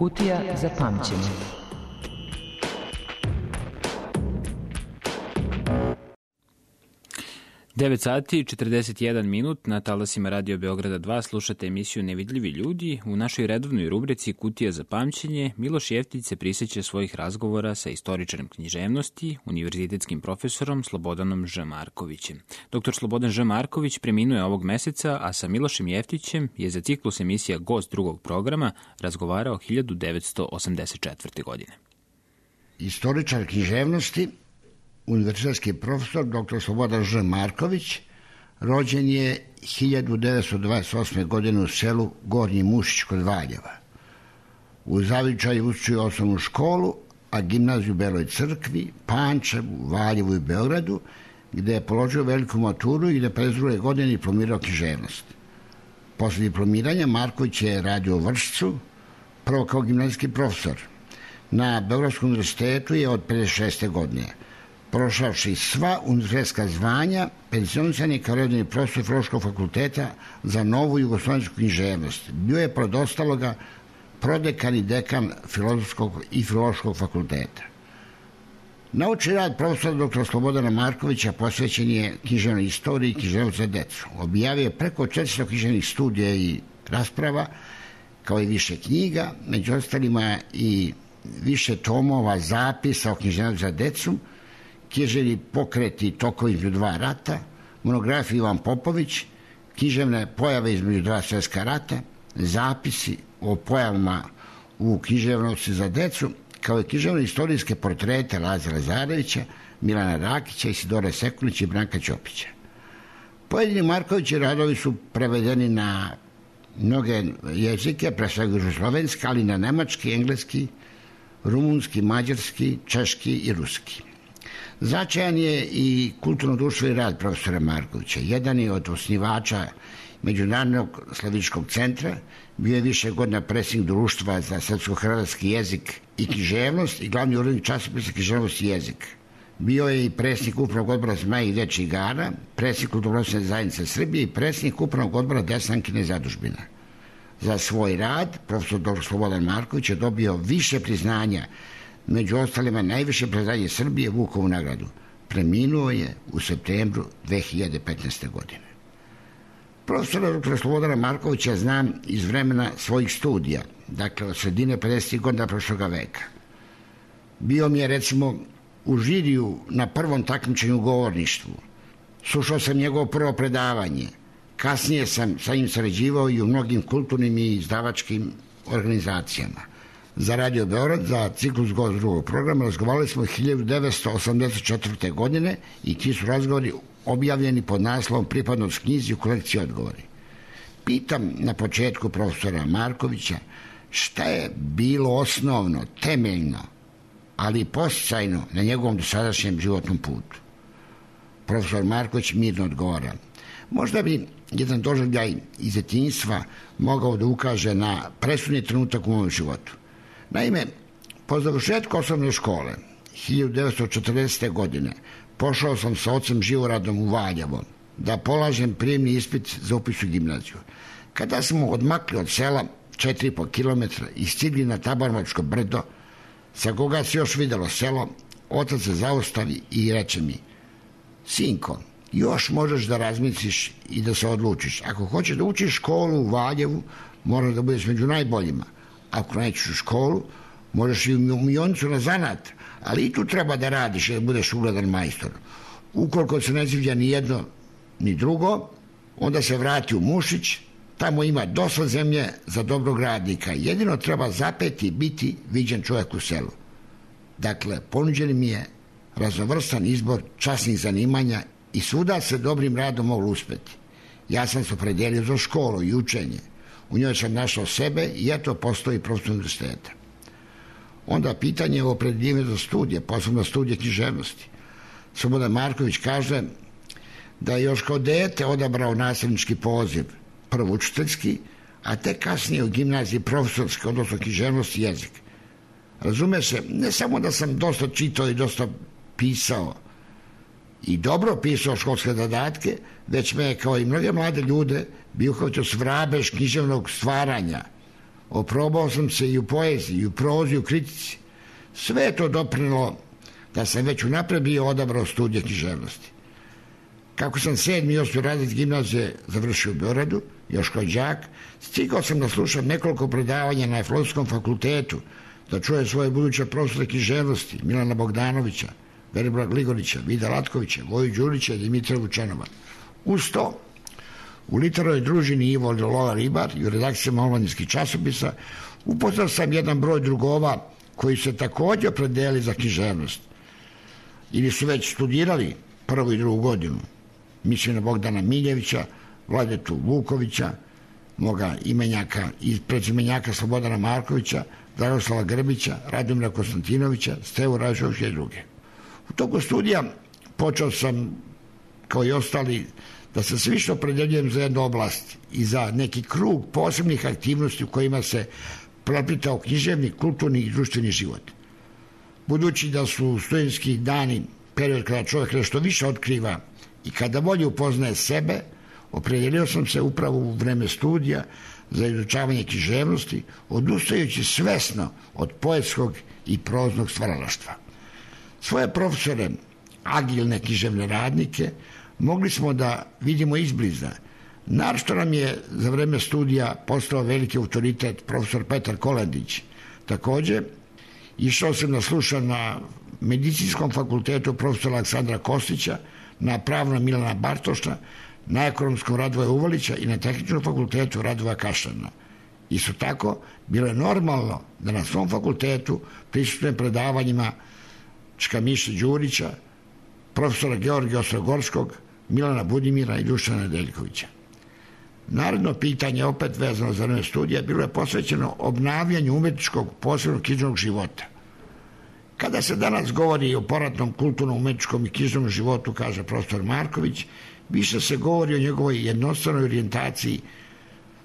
S7: Kutija za pamćenje.
S5: Devet sati i 41 minut na talasima Radio Beograda 2 slušate emisiju Nevidljivi ljudi. U našoj redovnoj rubrici Kutija za pamćenje Miloš Jeftić se prisjeća svojih razgovora sa istoričarem književnosti, univerzitetskim profesorom Slobodanom Ž. Markovićem. Dr. Slobodan Ž. Marković preminuje ovog meseca, a sa Milošem Jeftićem je za ciklus emisija Gost drugog programa razgovarao 1984. godine.
S19: Istoričar književnosti, univerzitetski profesor dr. Slobodan Ž. Marković, rođen je 1928. godine u selu Gornji Mušić kod Valjeva. U zavičaju učio osnovnu školu, a gimnaziju u Beloj Crkvi, Pančevu, Valjevu i Beogradu, gde je položio veliku maturu i 1952. godine diplomirao književnost. Posle diplomiranja Marković je radio u Vršcu, prvo kao gimnazijski profesor. Na Beogradskom univerzitetu je od 56. godine. Prošavši sva univerzitetska zvanja, pensionisan je kao redovni profesor Filološkog fakulteta za novu jugoslovensku književnost. Bio je pored ostaloga prodekan i dekan Filozofskog i Filološkog fakulteta. Naučni rad profesora dr. Slobodana Markovića posvećen je književnoj istoriji i književnosti za decu. Objavio je preko 400 književnih studija i rasprava, kao i više knjiga, među ostalima i više tomova zapisa o književnosti za decu, književni pokreti tokovi između dva rata, monografija Ivan Popović, književne pojave između dva svjetska rata, zapisi o pojavama u književnosti za decu, kao i književne istorijske portrete Lazara Lazarevića, Milana Rakića, Isidore Sekulića i Branka Ćopića. Pojedini Markovići radovi su prevedeni na mnoge jezike, pre svega jugoslovenski, ali na nemački, engleski, rumunski, mađarski, češki i ruski. Značajan je i kulturno-društveni rad profesora Markovića. Jedan je od osnivača Međunarodnog slavičkog centra, bio je više godina predsjednik društva za srpsko-hrvatski jezik i književnost i glavni urednik časopisa Književnost i jezik. Bio je i predsjednik upravnog odbora Zmaja i dečjih igara, predsjednik kulturno-društvene zajednice Srbije i predsjednik upravnog odbora Desankine zadužbina. Za svoj rad profesor dr. Slobodan Marković je dobio više priznanja, među ostalima najviše priznanje Srbije, Vukovu nagradu. Preminuo je u septembru 2015. godine. Profesora dr. Slobodana Markovića znam iz vremena svojih studija, dakle od sredine 50. godina prošloga veka. Bio mi je recimo u žiriju na prvom takmičenju u govorništvu. Slušao sam njegovo prvo predavanje. Kasnije sam sa njim sarađivao i u mnogim kulturnim i izdavačkim organizacijama. Za Radio Beograd, za ciklus Gost drugog programa, razgovarali smo 1984. godine i ti su razgovori objavljeni pod naslovom Pripadnost knjizi u kolekciji odgovori. Pitam na početku profesora Markovića šta je bilo osnovno, temeljno, ali i podsticajno na njegovom dosadašnjem životnom putu. Profesor Marković mirno odgovara. Možda bi jedan doživljaj iz djetinjstva mogao da ukaže na presudni trenutak u mom životu. Naime, po završetku osnovne škole 1940. godine pošao sam sa ocem Živoradom u Valjevo da polažem prijemni ispit za upis u gimnaziju. Kada smo odmakli od sela 4,5 kilometra i stigli na Tabarmačko brdo, sa koga se još videlo selo, otac se zaustavi i reče mi: sinko, još možeš da razmisliš i da se odlučiš. Ako hoćeš da učiš školu u Valjevu, moraš da budeš među najboljima. Ako nećeš u školu, možeš i u Mionicu na zanat, ali i tu treba da radiš i da budeš ugledan majstor. Ukoliko se ne sviđa ni jedno ni drugo, onda se vrati u Mušić, tamo ima dosta zemlje za dobrog radnika. Jedino treba zapeti i biti viđen čovjek u selu. Dakle, ponuđen mi je raznovrstan izbor časnih zanimanja i svuda se dobrim radom moglo uspeti. Ja sam se opredelio za školu i učenje. U njoj sam našao sebe i eto postoji profesor univerziteta. Onda pitanje o opredeljenju za studije, posebno studije književnosti. Slobodan Marković kaže da je još kao dete odabrao nastavnički poziv, prvo učiteljski, a tek kasnije u gimnaziji profesorski, odnosno književnost i jezik. Razume se, ne samo da sam dosta čitao i dosta pisao i dobro pisao školske zadatke, već me je, kao i mnoge mlade ljude, bio kao svrabež književnog stvaranja, Oprobao sam se i u poeziji, i u prozi, i u kritici. Sve je to doprinelo da sam već unapred bio odabrao studije književnosti. Kako sam 7. i 8. razred gimnazije završio u Beogradu, još kao đak, stigao sam da slušam nekoliko predavanja na Filozofskom fakultetu, da čuje svoje buduće profesore književnosti, Milana Bogdanovića, Velibora Gligorića, Vida Latkovića, Voju Đurića i Dimitra Vučanova. Uz to, u literarnoj družini Ivo Lola Ribar i u redakcijama omladinskih časopisa upoznao sam jedan broj drugova koji se također opredelili za književnost ili su već studirali prvu i drugu godinu. Mislim na Bogdana Miljevića, Vladetu Vukovića, moga imenjaka i prezimenjaka Slobodana Markovića, Dragoslava Grbića, Radomira Konstantinovića, Stevu Ražovića i druge. U toku studija počeo sam, kao i ostali, da se sve više opredeljujem za jednu oblast i za neki krug posebnih aktivnosti u kojima se preplitao književni, kulturni i društveni život. Budući da su studentski dani period kada čovjek nešto više otkriva i kada bolje upoznaje sebe, opredelio sam se upravo u vreme studija za izučavanje književnosti, odustajući svesno od poetskog i proznog stvaralaštva. Svoje profesore, agilne književne radnike, mogli smo da vidimo izbliza. Naročito nam je za vreme studija postao veliki autoritet profesor Petar Kolendić. Također, išao sam da slušam na Medicinskom fakultetu profesora Aleksandra Kostića, na Pravnom Milana Bartoša, na Ekonomskom Radovoja Uvalića i na Tehničkom fakultetu Radovoja Kašana. Isto tako, bilo je normalno da na svom fakultetu prisutnujem predavanjima Čka-Miše Đurića, profesora Georgija Ostrogorskog, Milana Budimira i Dušana Nedeljkovića. Naredno pitanje, opet vezano za vreme studija, bilo je posvećeno obnavljanju umetničkog posebnog književnog života. Kada se danas govori o poratnom kulturnom, umetničkom i književnom životu, kaže profesor Marković, više se govori o njegovoj jednostavnoj orijentaciji,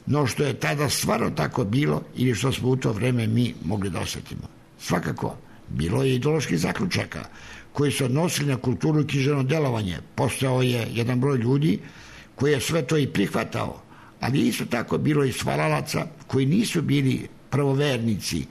S19: no što je tada stvarno tako bilo ili što smo u to vreme mi mogli da osjetimo. Svakako, bilo je ideoloških zaključaka koji se odnosili na kulturu i književno delovanje. Postojao je jedan broj ljudi koji je sve to i prihvatao, ali isto tako bilo i stvaralaca koji nisu bili prvovernici,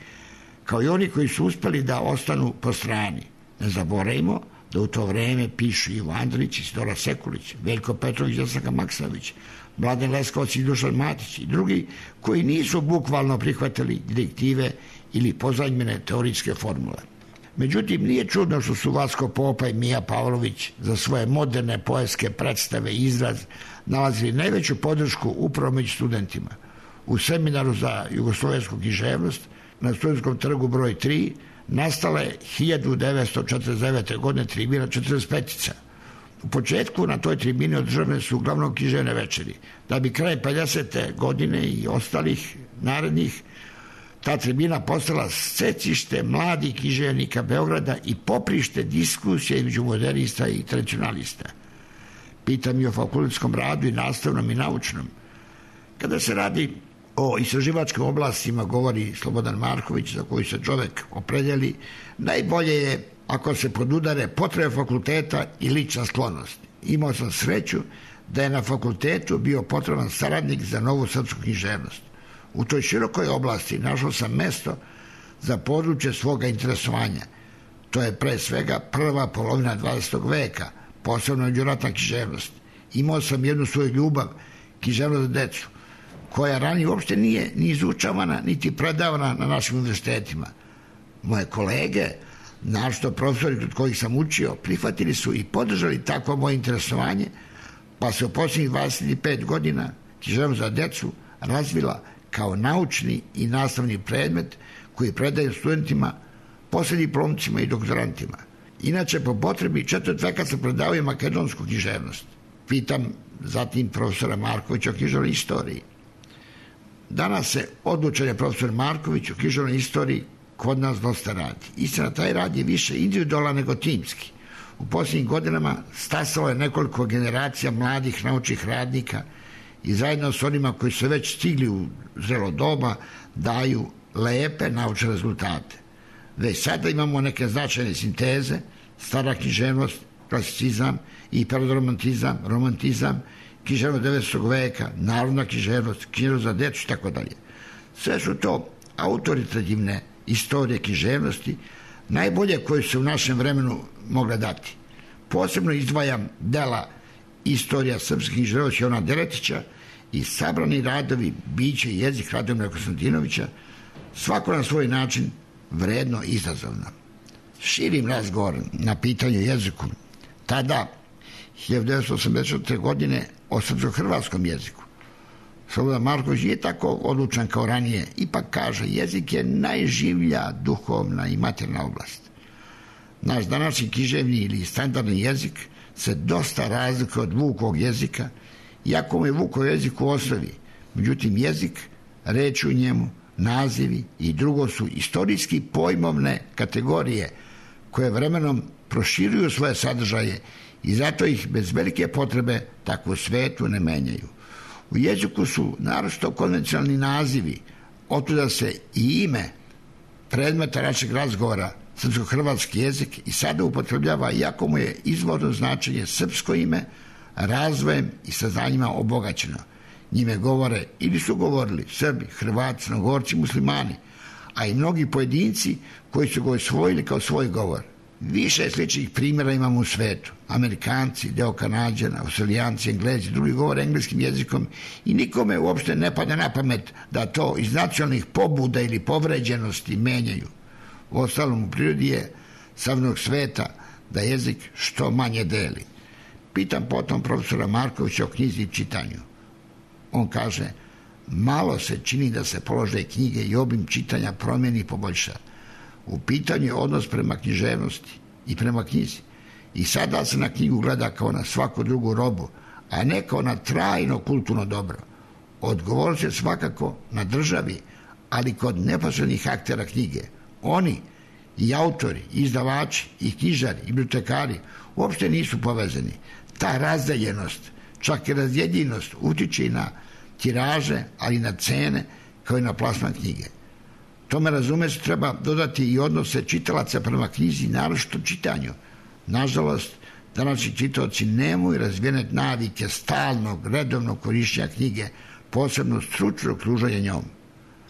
S19: kao i oni koji su uspeli da ostanu po strani. Ne zaboravimo da u to vreme pišu Ivo Andrić, Isidora Sekulić, Veljko Petrović, Jasaka Maksanović, Mladen Leskovac i Dušan Matić i drugi koji nisu bukvalno prihvatili direktive ili pozajmljene teorijske formule. Međutim, nije čudno što su Vasko Popa i Mija Pavlović za svoje moderne poetske predstave i izraz nalazili najveću podršku upravo među studentima. U seminaru za jugoslovensku književnost na Studentskom trgu broj 3 nastala je 1949. godine tribina 45-ica. U početku na toj tribini održane su uglavnom književne večeri, da bi kraj 50. godine i ostalih narednih ta tribina postala scecište mladih književnika Beograda i poprište diskusije između modernista i tradicionalista. Pitam i o fakultetskom radu i nastavnom i naučnom. Kada se radi o istraživačkim oblastima, govori Slobodan Marković, za koji se čovek opredeli, najbolje je ako se podudare potrebe fakulteta i lična sklonost. Imao sam sreću da je na fakultetu bio potreban saradnik za novu srpsku književnost. U toj širokoj oblasti našao sam mesto za područje svoga interesovanja. To je pre svega prva polovina 20. veka, posebno međuratna književnost. Imao sam jednu svoju ljubav, književnost za decu, koja ranije uopšte nije ni izučavana, niti predavana na našim univerzitetima. Moje kolege, našto profesori kod kojih sam učio, prihvatili su i podržali takvo moje interesovanje, pa se u posljednjih 25 godina književnost za decu razvila kao naučni i nastavni predmet koji predaju studentima, poslijediplomcima i doktorantima. Inače, po potrebi 4 veka se predavaju makedonsku književnost. Pitam zatim profesora Markovića o književnoj istoriji. Danas se odlučen je profesor Marković o književnoj istoriji kod nas dosta radi. Istina, taj rad je više individualan nego timski. U posljednjim godinama stasalo je nekoliko generacija mladih naučnih radnika i zajedno s onima koji su već stigli u zrelo doba daju lepe naučne rezultate. Već sada imamo neke značajne sinteze, stara književnost, klasicizam, hiperromantizam, romantizam, književnost 19. veka, narodna književnost, književnost za decu i tako dalje. Sve su to autoritativne istorije književnosti, najbolje koje su u našem vremenu mogle dati. Posebno izdvajam dela Istorija srpskih književnosti Jovana Deretića i sabrani radovi Biće i jezik Radomira Konstantinovića, svako na svoj način vredno i izazovno. Širim razgovor na pitanju jeziku. Tada, 1984. godine, o srpsko-hrvatskom jeziku. Slobodan Marković nije tako odlučan kao ranije, ipak kaže, jezik je najživlja duhovna i materijalna oblast. Naš današnji književni ili standardni jezik se dosta razlikuje od Vukovog jezika, iako mu je Vukov jezik u osnovi. Međutim, jezik, reči u njemu, nazivi i drugo su istorijski pojmovne kategorije koje vremenom proširuju svoje sadržaje i zato ih bez velike potrebe tako u svetu ne menjaju. U jeziku su naročito konvencionalni nazivi, otuda se i ime predmeta našeg razgovora, srpsko-hrvatski jezik, i sada upotrebljava, iako mu je izvorno značenje srpsko ime, razvojem i saznanjima obogaćeno. Njime govore ili su govorili Srbi, Hrvati, Crnogorci, Muslimani, a i mnogi pojedinci koji su ga osvojili kao svoj govor. Više sličnih primjera imamo u svetu. Amerikanci, deo Kanađana, Australijanci, Englezi, drugi govore engleskim jezikom i nikome uopšte ne pada na pamet da to iz nacionalnih pobuda ili povređenosti menjaju. U ostalom, u prirodi je savnog sveta da jezik što manje deli. Pitam potom profesora Markovića o knjizi i čitanju. On kaže, malo se čini da se položaj knjige i obim čitanja promijeni i poboljša. U pitanju je odnos prema književnosti i prema knjizi. I sada se na knjigu gleda kao na svaku drugu robu, a ne kao na trajno kulturno dobro. Odgovornost je svakako na državi, ali kod neposrednih aktera knjige. Oni, i autori, i izdavači, i knjižari, i bibliotekari uopšte nisu povezani. Ta razdeljenost, čak i razjedinjenost utiče i na tiraže, ali i na cene, kao i na plasman knjige. Tome razume se treba dodati i odnose čitalaca prema knjizi, naročito čitanju. Nažalost, današnji čitaoci nemaju razvijene navike stalnog, redovnog korišćenja knjige, posebno stručnog kruženja njom.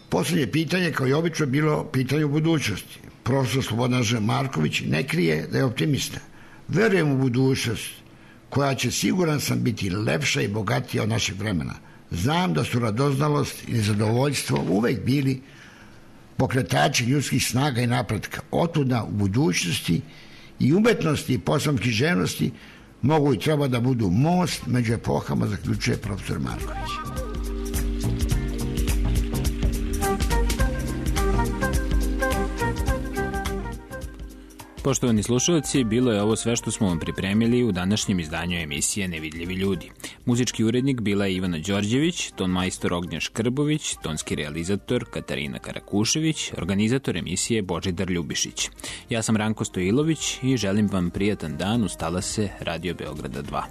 S19: Posljednje pitanje, kao i obično, bilo pitanje u budućnosti. Profesor Slobodan Ž. Marković ne krije da je optimista. Verujem u budućnost koja će, siguran sam, biti lepša i bogatija od našeg vremena. Znam da su radoznalost i nezadovoljstvo uvek bili pokretači ljudskih snaga i napretka. Otuda u budućnosti i umetnosti i poslom književnosti mogu i treba da budu most među epohama, zaključuje profesor Marković.
S5: Poštovani slušalci, bilo je ovo sve što smo vam pripremili u današnjem izdanju emisije Nevidljivi ljudi. Muzički urednik bila je Ivana Đorđević, ton majstor Ognjen Škrbović, tonski realizator Katarina Karakušević, organizator emisije Božidar Ljubišić. Ja sam Ranko Stojilović i želim vam prijatan dan uz talase Radio Beograda 2.